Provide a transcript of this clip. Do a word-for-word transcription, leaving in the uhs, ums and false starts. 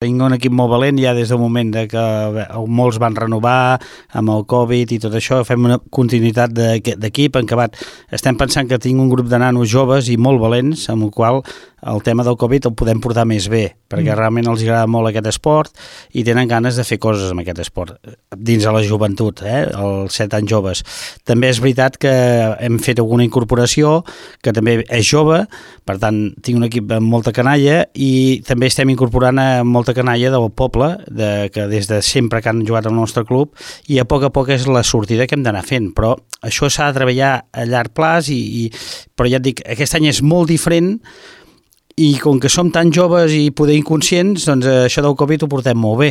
Tinc un equip molt valent ja des del moment de que molts van renovar amb el Covid i tot això. Fem una continuïtat d'equip en què estem pensant que tinc un grup de nanos joves i molt valents, amb el qual el tema del Covid el podem portar més bé, perquè mm. realment els agrada molt aquest esport i tenen ganes de fer coses amb aquest esport, dins de la joventut, eh? Els set anys joves. També és veritat que hem fet alguna incorporació que també és jove, per tant tinc un equip amb molta canalla i també estem incorporant a molta canalla del poble, de, que des de sempre que han jugat al nostre club, i a poc a poc és la sortida que hem d'anar fent, però això s'ha de treballar a llarg plaç, i, i, però ja et dic, aquest any és molt diferent, i com que som tan joves i poder inconscients, doncs això del Covid ho portem molt bé.